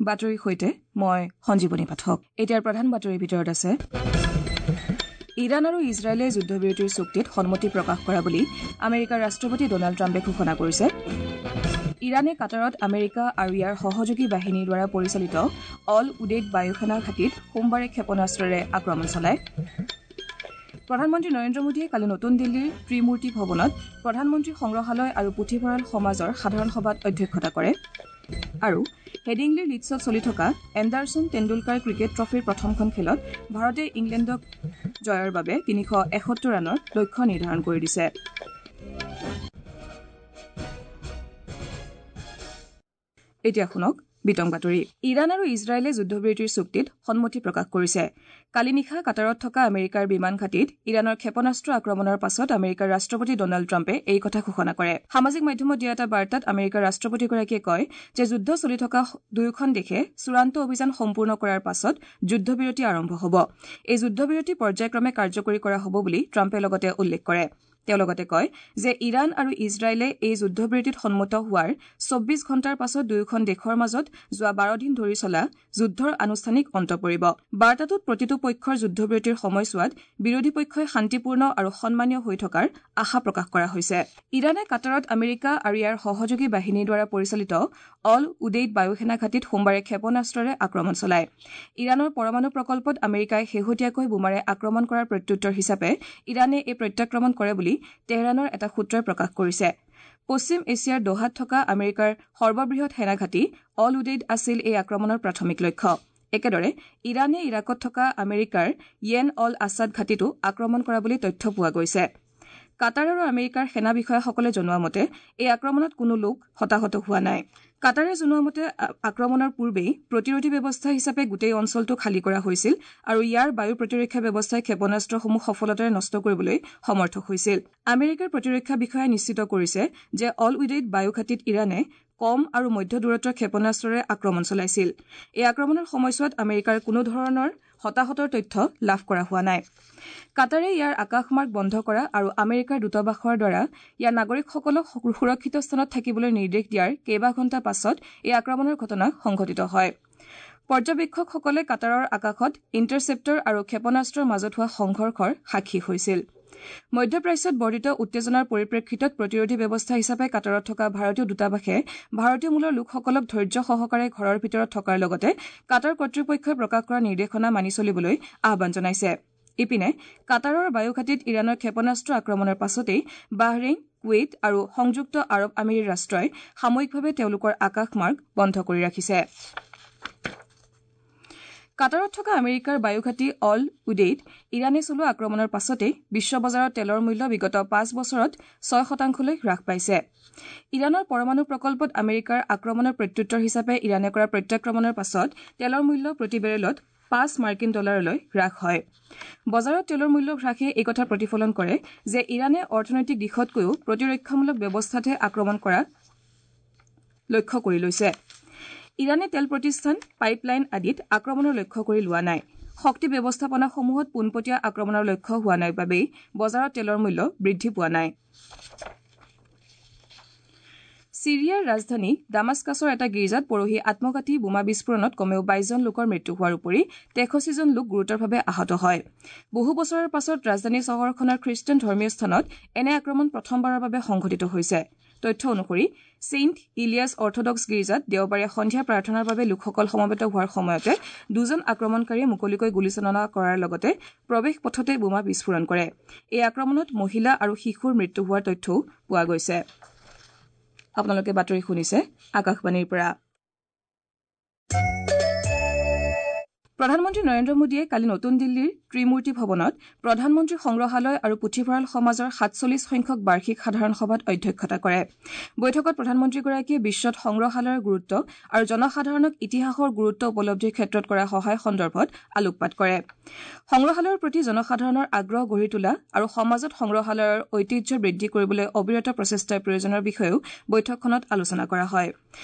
বাতৰিৰ সৈতে মই সঞ্জীৱনী পাঠক। এতিয়াৰ প্ৰধান বাতৰিৰ ভিতৰত আছে ইৰাণ আৰু ইজৰাইলে যুদ্ধবিৰতিৰ চুক্তিত সন্মতি প্ৰকাশ কৰা বুলি আমেৰিকাৰ ৰাষ্ট্ৰপতি ডনাল্ড ট্ৰাম্পে ঘোষণা কৰিছে। ইৰাণে কাটাৰত আমেৰিকা আৰু ইয়াৰ সহযোগী বাহিনীৰ দ্বাৰা পৰিচালিত অল উডেইড বায়ুসেনা ঘাটিত সোমবাৰে ক্ষেপণাস্ত্ৰৰে আক্ৰমণ চলায়। প্ৰধানমন্ত্ৰী নৰেন্দ্ৰ মোদীয়ে কালি নতুন দিল্লীৰ ত্ৰিমূৰ্তি ভৱনত প্ৰধানমন্ত্ৰী সংগ্ৰহালয় আৰু পুথিভঁৰাল সমাজৰ সাধাৰণ সভাত অধ্যক্ষতা কৰে। আৰু হেডিংলিৰ লিডছত চলি থকা এণ্ডাৰছন টেণ্ডুলকাৰ ক্ৰিকেট ট্ৰফীৰ প্ৰথমখন খেলত ভাৰতে ইংলেণ্ডক জয়ৰ বাবে 371 ৰানৰ লক্ষ্য নিৰ্ধাৰণ কৰি দিছে। এতিয়া শুনক বিতং বাতৰি। ইৰাণ আৰু ইজৰাইলে যুদ্ধবিৰতিৰ চুক্তিত সন্মতি প্ৰকাশ কৰিছে। কালি নিশা কাটাৰত থকা আমেৰিকাৰ বিমান ঘাটিত ইৰাণৰ ক্ষেপণাস্ত্ৰ আক্ৰমণৰ পাছত আমেৰিকাৰ ৰাষ্ট্ৰপতি ডনাল্ড ট্ৰাম্পে এই কথা ঘোষণা কৰে। সামাজিক মাধ্যমত দিয়া এটা বাৰ্তাত আমেৰিকাৰ ৰাষ্ট্ৰপতিগৰাকীয়ে কয় যে যুদ্ধ চলি থকা দুয়োখন দেশে চূড়ান্ত অভিযান সম্পূৰ্ণ কৰাৰ পাছত যুদ্ধবিৰতি আৰম্ভ হ'ব। এই যুদ্ধবিৰতি পৰ্যায়ক্ৰমে কাৰ্যকৰী কৰা হ'ব বুলি ট্ৰাম্পে লগতে উল্লেখ কৰে। তেওঁ লগতে কয় যে ইৰাণ আৰু ইজৰাইলে এই যুদ্ধবিৰতিত সন্মত হোৱাৰ 24 ঘণ্টাৰ পাছত দুয়োখন দেশৰ মাজত যোৱা 12 দিন ধৰি চলা যুদ্ধৰ আনুষ্ঠানিক অন্ত পৰিব। বাৰ্তাটোত প্ৰতিটো পক্ষৰ যুদ্ধবিৰতিৰ সময়ছোৱাত বিৰোধী পক্ষই শান্তিপূৰ্ণ আৰু সন্মানীয় হৈ থকাৰ আশা প্ৰকাশ কৰা হৈছে। ইৰাণে কাটাৰত আমেৰিকা আৰু ইয়াৰ সহযোগী বাহিনীৰ দ্বাৰা পৰিচালিত অল উডেইড বায়ুসেনা ঘাটিত সোমবাৰে ক্ষেপণাস্ত্ৰৰে আক্ৰমণ চলায়। ইৰাণৰ পৰমাণু প্ৰকল্পত আমেৰিকাই শেহতীয়াকৈ বোমাৰে আক্ৰমণ কৰাৰ প্ৰত্যুত্তৰ হিচাপে ইৰাণে এই প্ৰত্যাক্ৰমণ কৰে বুলি তেহৰাণৰ এটা সূত্ৰই প্ৰকাশ কৰিছে। পশ্চিম এছিয়াৰ দোহাত থকা আমেৰিকাৰ সৰ্ববৃহৎ সেনাঘাটি অল উডেইড আছিল এই আক্ৰমণৰ প্ৰাথমিক লক্ষ্য। একেদৰে ইৰাণে ইৰাকত থকা আমেৰিকাৰ য়েন অল আছাদ ঘাটিতো আক্ৰমণ কৰা বুলি তথ্য পোৱা গৈছে। কাটাৰ আৰু আমেৰিকাৰ সেনা বিষয়াসকলে জনোৱা মতে এই আক্ৰমণত কোনো লোক হতাহত হোৱা নাই। কাটাৰে জনোৱা মতে আক্ৰমণৰ পূৰ্বেই প্ৰতিৰোধী ব্যৱস্থা হিচাপে গোটেই অঞ্চলটো খালী কৰা হৈছিল আৰু ইয়াৰ বায়ু প্ৰতিৰক্ষা ব্যৱস্থাই ক্ষেপণাস্ত্ৰসমূহ সফলতাৰে নষ্ট কৰিবলৈ সমৰ্থ হৈছিল। আমেৰিকাৰ প্ৰতিৰক্ষা বিষয়াই নিশ্চিত কৰিছে যে অল উডেইড বায়ু ঘাটিত ইৰাণে কম আৰু মধ্য দূৰত্বৰ ক্ষেপণাস্ত্ৰৰে আক্ৰমণ চলাইছিল। এই আক্ৰমণৰ সময়ছোৱাত আমেৰিকাৰ কোনো ধৰণৰ হতাহতৰ তথ্য লাভ কৰা হোৱা নাই। কাটাৰে ইয়াৰ আকাশমাৰ্গ বন্ধ কৰা আৰু আমেৰিকাৰ দূতাবাসৰ দ্বাৰা ইয়াৰ নাগৰিকসকলক সুৰক্ষিত স্থানত থাকিবলৈ নিৰ্দেশ দিয়াৰ কেইবা ঘণ্টা পাছত এই আক্ৰমণৰ ঘটনা সংঘটিত হয়। পৰ্যবেক্ষকসকলে কাটাৰৰ আকাশত ইণ্টাৰচেপ্টৰ আৰু ক্ষেপণাস্ত্ৰৰ মাজত হোৱা সংঘৰ্ষৰ সাক্ষী হৈছিল। মধ্যপ্ৰাচ্যত বৰ্ধিত উত্তেজনাৰ পৰিপ্ৰেক্ষিতত প্ৰতিৰোধী ব্যৱস্থা হিচাপে কাটাৰত থকা ভাৰতীয় দূতাবাসে ভাৰতীয় মূলৰ লোকসকলক ধৈৰ্য সহকাৰে ঘৰৰ ভিতৰত থকাৰ লগতে কাটাৰ কৰ্তৃপক্ষই প্ৰকাশ কৰা নিৰ্দেশনা মানি চলিবলৈ আহ্বান জনাইছে। ইপিনে কাটাৰৰ বায়ুঘাটিত ইৰাণৰ ক্ষেপণাস্ত্ৰ আক্ৰমণৰ পাছতেই বাহৰেইন, কুৱেইট আৰু সংযুক্ত আৰৱ আমিৰী ৰাষ্ট্ৰই সাময়িকভাৱে তেওঁলোকৰ আকাশমাৰ্গ বন্ধ কৰি ৰাখিছে। কাটাৰত থকা আমেৰিকাৰ বায়ুঘাটি অল উডেইড ইৰাণে চলোৱা আক্ৰমণৰ পাছতেই বিশ্ব বজাৰত তেলৰ মূল্য বিগত 5 বছৰত 6% হ্ৰাস পাইছে। ইৰাণৰ পৰমাণু প্ৰকল্পত আমেৰিকাৰ আক্ৰমণৰ প্ৰত্যুত্তৰ হিচাপে ইৰাণে কৰা প্ৰত্যাক্ৰমণৰ পাছত তেলৰ মূল্য প্ৰতি বেৰেলত 5 মাৰ্কিন ডলাৰলৈ হ্ৰাস হয়। বজাৰত তেলৰ মূল্য হ্ৰাসে এই কথা প্ৰতিফলন কৰে যে ইৰাণে অৰ্থনৈতিক দিশতকৈও প্ৰতিৰক্ষামূলক ব্যৱস্থাতহে আক্ৰমণ কৰা লক্ষ্য কৰি লৈছে। ইৰাণে তেল প্ৰতিষ্ঠান, পাইপলাইন আদিত আক্ৰমণৰ লক্ষ্য কৰি লোৱা নাই। শক্তি ব্যৱস্থাপনাসমূহত পোনপটীয়া আক্ৰমণৰ লক্ষ্য হোৱা নাই বাবেই বজাৰত তেলৰ মূল্য বৃদ্ধি পোৱা নাই। ছিৰিয়াৰ ৰাজধানী দামাস্কাছৰ এটা গীৰ্জাত পৰহি আত্মঘাতী বোমা বিস্ফোৰণত কমেও 22 জন লোকৰ মৃত্যু হোৱাৰ উপৰি 63 জন লোক গুৰুতৰভাৱে আহত হয়। বহু বছৰৰ পাছত ৰাজধানী চহৰখনৰ খ্ৰীষ্টান ধৰ্মীয় স্থানত এনে আক্ৰমণ প্ৰথমবাৰৰ বাবে সংঘটিত হৈছে। তথ্য অনুসৰি ছেইণ্ট ইলিয়াছ অৰ্থডক্স গীৰ্জাত দেওবাৰে সন্ধিয়া প্ৰাৰ্থনাৰ বাবে লোকসকল সমবেত হোৱাৰ সময়তে দুজন আক্ৰমণকাৰীয়ে মুকলিকৈ গুলীচালনা কৰাৰ লগতে প্ৰৱেশ পথতে বোমা বিস্ফোৰণ কৰে। এই আক্ৰমণত মহিলা আৰু শিশুৰ মৃত্যু হোৱাৰ তথ্যও পোৱা গৈছে। আপোনালোকে বাতৰি শুনিছে আকাশবাণীৰ পৰা। প্ৰধানমন্ত্ৰী নৰেন্দ্ৰ মোদীয়ে কালি নতুন দিল্লীৰ ত্ৰিমূৰ্তি ভৱনত প্ৰধানমন্ত্ৰী সংগ্ৰহালয় আৰু পুথিভঁৰাল সমাজৰ 47 সংখ্যক বাৰ্ষিক সাধাৰণ সভাত অধ্যক্ষতা কৰে। বৈঠকত প্ৰধানমন্ত্ৰীগৰাকীয়ে বিশ্বত সংগ্ৰহালয়ৰ গুৰুত্ব আৰু জনসাধাৰণক ইতিহাসৰ গুৰুত্ব উপলব্ধিৰ ক্ষেত্ৰত কৰা সহায় সন্দৰ্ভত আলোকপাত কৰে। সংগ্ৰহালয়ৰ প্ৰতি জনসাধাৰণৰ আগ্ৰহ গঢ়ি তোলা আৰু সমাজত সংগ্ৰহালয়ৰ ঐতিহ্য বৃদ্ধি কৰিবলৈ অবিৰত প্ৰচেষ্টাৰ প্ৰয়োজনৰ বিষয়েও বৈঠকখনত আলোচনা কৰা হয়।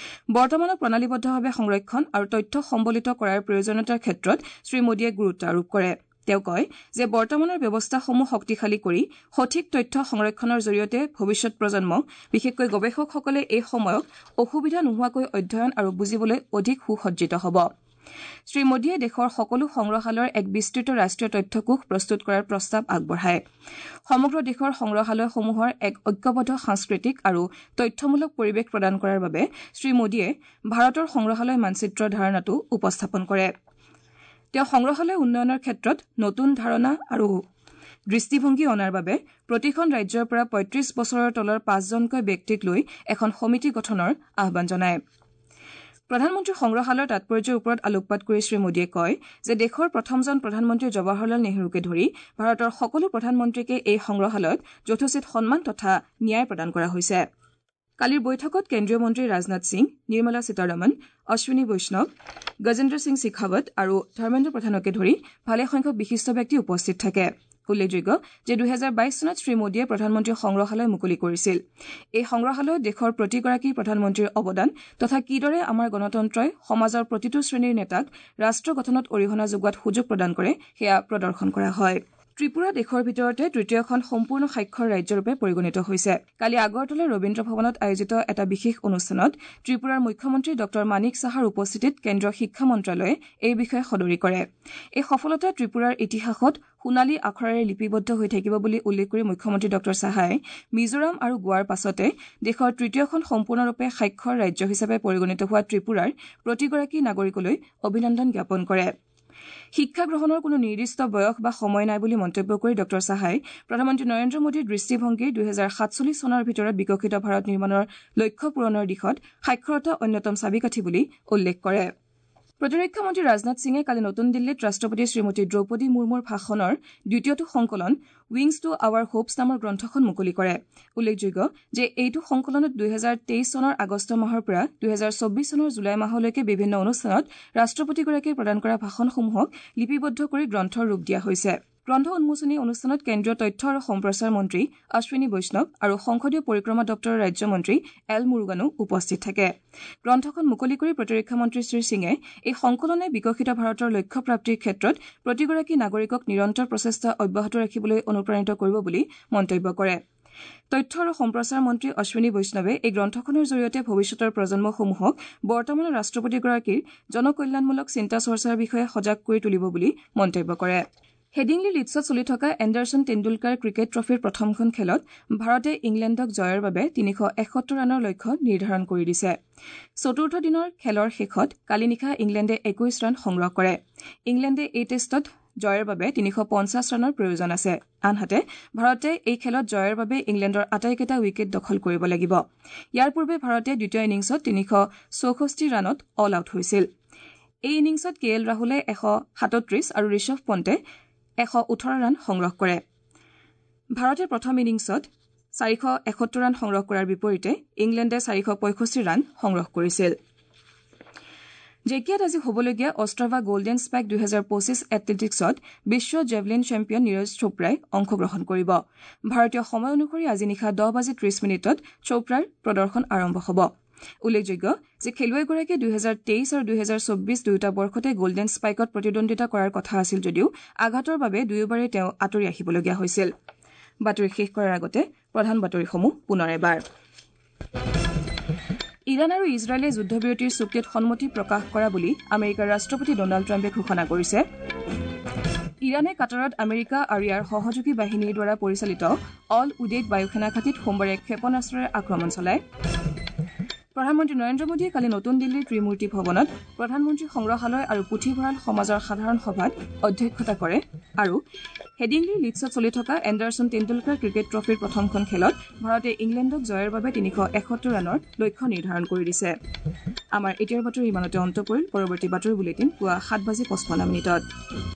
বৰ্তমানৰ প্ৰণালীবদ্ধভাৱে সংৰক্ষণ আৰু তথ্য সম্বলিত কৰাৰ প্ৰয়োজনীয়তাৰ ক্ষেত্ৰত শ্ৰীমোদীয়ে গুৰুত্ব আৰোপ কৰে। তেওঁ কয় যে বৰ্তমানৰ ব্যৱস্থাসমূহ শক্তিশালী কৰি সঠিক তথ্য সংৰক্ষণৰ জৰিয়তে ভৱিষ্যত প্ৰজন্ম, বিশেষকৈ গৱেষকসকলে এই সময়ক অসুবিধা নোহোৱাকৈ অধ্যয়ন আৰু বুজিবলৈ অধিক সুসজ্জিত হ'ব। শ্ৰী মোদীয়ে দেশৰ সকলো সংগ্ৰহালয়ৰ এক বিস্তৃত ৰাষ্ট্ৰীয় তথ্যকোষ প্ৰস্তুত কৰাৰ প্ৰস্তাৱ আগবঢ়ায়। সমগ্ৰ দেশৰ সংগ্ৰহালয়সমূহৰ এক ঐক্যবদ্ধ সাংস্কৃতিক আৰু তথ্যমূলক পৰিৱেশ প্ৰদান কৰাৰ বাবে শ্ৰী মোদীয়ে ভাৰতৰ সংগ্ৰহালয় মানচিত্ৰৰ ধাৰণাটো উপস্থাপন কৰে। তেওঁ সংগ্ৰহালয় উন্নয়নৰ ক্ষেত্ৰত নতুন ধাৰণা আৰু দৃষ্টিভংগী অনাৰ বাবে প্ৰতিখন ৰাজ্যৰ পৰা ৩৫ বছৰৰ তলৰ ৫জনকৈ ব্যক্তিক লৈ এখন সমিতি গঠনৰ আহ্বান জনায়। প্ৰধানমন্ত্ৰীৰ সংগ্ৰহালয়ৰ তাৎপৰ্যৰ ওপৰত আলোকপাত কৰি শ্ৰী মোদীয়ে কয় যে দেশৰ প্ৰথমজন প্ৰধানমন্ত্ৰী জৱাহৰলাল নেহৰুকে ধৰি ভাৰতৰ সকলো প্ৰধানমন্ত্ৰীকে এই সংগ্ৰহালয়ত যথোচিত সন্মান তথা ন্যায় প্ৰদান কৰা হৈছে। কালিৰ বৈঠকত কেন্দ্ৰীয় মন্ত্ৰী ৰাজনাথ সিং, নিৰ্মলা সীতাৰমণ, অশ্বিনী বৈষ্ণৱ, গজেন্দ্ৰ সিং শেখাৱত আৰু ধৰ্মেন্দ্ৰ প্ৰধানকে ধৰি ভালেসংখ্যক বিশিষ্ট ব্যক্তি উপস্থিত থাকে। উল্লেখযোগ্য যে ২০২২ চনত শ্ৰী মোদীয়ে প্ৰধানমন্ত্ৰী সংগ্ৰহালয় মুকলি কৰিছিল। এই সংগ্ৰহালয়ত দেশৰ প্ৰতিগৰাকী প্ৰধানমন্ত্ৰীৰ অৱদান তথা কিদৰে আমাৰ গণতন্ত্ৰই সমাজৰ প্ৰতিটো শ্ৰেণীৰ নেতাক ৰাষ্ট্ৰ গঠনত অৰিহণা যোগোৱাত সুযোগ প্ৰদান কৰে সেয়া প্ৰদৰ্শন কৰা হয়। ত্ৰিপুৰা দেশৰ ভিতৰতে তৃতীয়খন সম্পূৰ্ণ সাক্ষৰ ৰাজ্যৰূপে পৰিগণিত হৈছে। কালি আগৰতলাৰ ৰবীন্দ্ৰ ভৱনত আয়োজিত এটা বিশেষ অনুষ্ঠানত ত্ৰিপুৰাৰ মুখ্যমন্ত্ৰী ডঃ মানিক সাহাৰ উপস্থিতিত কেন্দ্ৰীয় শিক্ষা মন্ত্ৰালয়ে এই বিষয়ে সদৰি কৰে। এই সফলতা ত্ৰিপুৰাৰ ইতিহাসত সোণালী আখৰেৰে লিপিবদ্ধ হৈ থাকিব বুলি উল্লেখ কৰি মুখ্যমন্ত্ৰী ডঃ সাহাই মিজোৰাম আৰু গোৱাৰ পাছতে দেশৰ তৃতীয়খন সম্পূৰ্ণৰূপে সাক্ষৰ ৰাজ্য হিচাপে পৰিগণিত হোৱা ত্ৰিপুৰাৰ প্ৰতিগৰাকী নাগৰিকলৈ অভিনন্দন জ্ঞাপন কৰে। শিক্ষা গ্ৰহণৰ কোনো নিৰ্দিষ্ট বয়স বা সময় নাই বুলি মন্তব্য কৰি ডঃ সাহাই প্ৰধানমন্ত্ৰী নৰেন্দ্ৰ মোদীৰ দৃষ্টিভংগীৰ ২০৪৭ চনৰ ভিতৰত বিকশিত ভাৰত নিৰ্মাণৰ লক্ষ্য পূৰণৰ দিশত সাক্ষৰতা অন্যতম চাবিকাঠি বুলি উল্লেখ কৰে। প্ৰতিৰক্ষা মন্ত্ৰী ৰাজনাথ সিঙে কালি নতুন দিল্লীত ৰাষ্ট্ৰপতি শ্ৰীমতী দ্ৰৌপদী মুৰ্মুৰ ভাষণৰ দ্বিতীয়টো সংকলন উইংছ টু আৱাৰ হোপছ নামৰ গ্ৰন্থখন মুকলি কৰে। উল্লেখযোগ্য যে এইটো সংকলনত ২০২৩ চনৰ আগষ্ট মাহৰ পৰা ২০২৪ চনৰ জুলাই মাহলৈকে বিভিন্ন অনুষ্ঠানত ৰাষ্ট্ৰপতিগৰাকীয়ে প্ৰদান কৰা ভাষণসমূহক লিপিবদ্ধ কৰি গ্ৰন্থৰ ৰূপ দিয়া হৈছে। গ্ৰন্থ উন্মোচনী অনুষ্ঠানত কেন্দ্ৰীয় তথ্য আৰু সম্প্ৰচাৰ মন্ত্ৰী অশ্বিনী বৈষ্ণৱ আৰু সংসদীয় পৰিক্ৰমা দপ্তৰৰ ৰাজ্যমন্ত্ৰী এল মুৰুগানো উপস্থিত থাকে। গ্ৰন্থখন মুকলি কৰি প্ৰতিৰক্ষা মন্ত্ৰী শ্ৰী সিঙে এই সংকলনে বিকশিত ভাৰতৰ লক্ষ্য প্ৰাপ্তিৰ ক্ষেত্ৰত প্ৰতিগৰাকী নাগৰিকক নিৰন্তৰ প্ৰচেষ্টা অব্যাহত ৰাখিবলৈ অনুপ্ৰাণিত কৰিব বুলি মন্তব্য কৰে। তথ্য আৰু সম্প্ৰচাৰ মন্ত্ৰী অশ্বিনী বৈষ্ণৱে এই গ্ৰন্থখনৰ জৰিয়তে ভৱিষ্যতৰ প্ৰজন্মসমূহক বৰ্তমানৰ ৰাষ্ট্ৰপতিগৰাকীৰ জনকল্যাণমূলক চিন্তা চৰ্চাৰ বিষয়ে সজাগ কৰি তুলিব বুলি মন্তব্য কৰে। হেডিংলি লিডছত চলি থকা এণ্ডাৰছন তেণ্ডুলকাৰ ক্ৰিকেট ট্ৰফীৰ প্ৰথমখন খেলত ভাৰতে ইংলেণ্ডক জয়ৰ বাবে ৩৭১ ৰানৰ লক্ষ্য নিৰ্ধাৰণ কৰি দিছে। চতুৰ্থ দিনৰ খেলৰ শেষত কালি নিশা ইংলেণ্ডে ২১ ৰান সংগ্ৰহ কৰে। ইংলেণ্ডে এই টেষ্টত জয়ৰ বাবে ৩৫০ ৰানৰ প্ৰয়োজন আছে। আনহাতে ভাৰতে এই খেলত জয়ৰ বাবে ইংলেণ্ডৰ আটাইকেইটা উইকেট দখল কৰিব লাগিব। ইয়াৰ পূৰ্বে ভাৰতে দ্বিতীয় ইনিংছত ৩৬৪ ৰানত অল আউট হৈছিল। এই ইনিংছত কে এল ৰাহুলে ১৩৭ আৰু ঋষভ পণ্টে ১১৮ ৰান সংগ্ৰহ কৰে। ভাৰতে প্ৰথম ইনিংছত ৪৭১ ৰান সংগ্ৰহ কৰাৰ বিপৰীতে ইংলেণ্ডে ৪৬৫ ৰান সংগ্ৰহ কৰিছিল। জেকিয়াত আজি হ'বলগীয়া অষ্ট্ৰাভা গল্ডেন স্পাইক ২০২৫ এথলেটিকছত বিশ্ব জেভলিন চেম্পিয়ন নীৰজ চোপ্ৰাই অংশগ্ৰহণ কৰিব। ভাৰতীয় সময় অনুসৰি আজি নিশা ১০:৩০ চোপ্ৰাৰ প্ৰদৰ্শন আৰম্ভ হ'ব। উল্লেখযোগ্য যে খেলুৱৈগৰাকীয়ে ২০২৩ আৰু ২০২৪ দুয়োটা বৰ্ষতে গল্ডেন স্পাইকত প্ৰতিদ্বন্দ্বিতা কৰাৰ কথা আছিল যদিও আঘাতৰ বাবে দুয়োবাৰেই তেওঁ আঁতৰি আহিবলগীয়া হৈছিল। বাতৰি শেষ কৰাৰ আগতে প্ৰধান বাতৰিসমূহ পুনৰ এবাৰ। ইৰাণ আৰু ইজৰাইলে যুদ্ধবিৰতিৰ চুক্তিত সন্মতি প্ৰকাশ কৰা বুলি আমেৰিকাৰ ৰাষ্ট্ৰপতি ডনাল্ড ট্ৰাম্পে ঘোষণা কৰিছে। ইৰাণে কাটাৰত আমেৰিকা আৰু ইয়াৰ সহযোগী বাহিনীৰ দ্বাৰা পৰিচালিত অল উডেড বায়ুসেনা ঘাটিত সোমবাৰে ক্ষেপণাস্ত্ৰৰে আক্ৰমণ চলায়। প্ৰধানমন্ত্ৰী নৰেন্দ্ৰ মোদীয়ে কালি নতুন দিল্লীৰ ত্ৰিমূৰ্তি ভৱনত প্ৰধানমন্ত্ৰী সংগ্ৰহালয় আৰু পুথিভঁৰাল সমাজৰ সাধাৰণ সভাত অধ্যক্ষতা কৰে আৰু হেডিংলিৰ লিডছত চলি থকা এণ্ডাৰছন তেণ্ডুলকাৰ ক্ৰিকেট ট্ৰফীৰ প্ৰথমখন খেলত ভাৰতে ইংলেণ্ডক জয়ৰ বাবে ৩৭১ ৰানৰ লক্ষ্য নিৰ্ধাৰণ কৰি দিছে। আমাৰ এতিয়াৰ বাতৰি ইমানতে অন্ত পৰিল। পৰৱৰ্তী বাতৰি বুলেটিন পুৱা ৭:৫৫।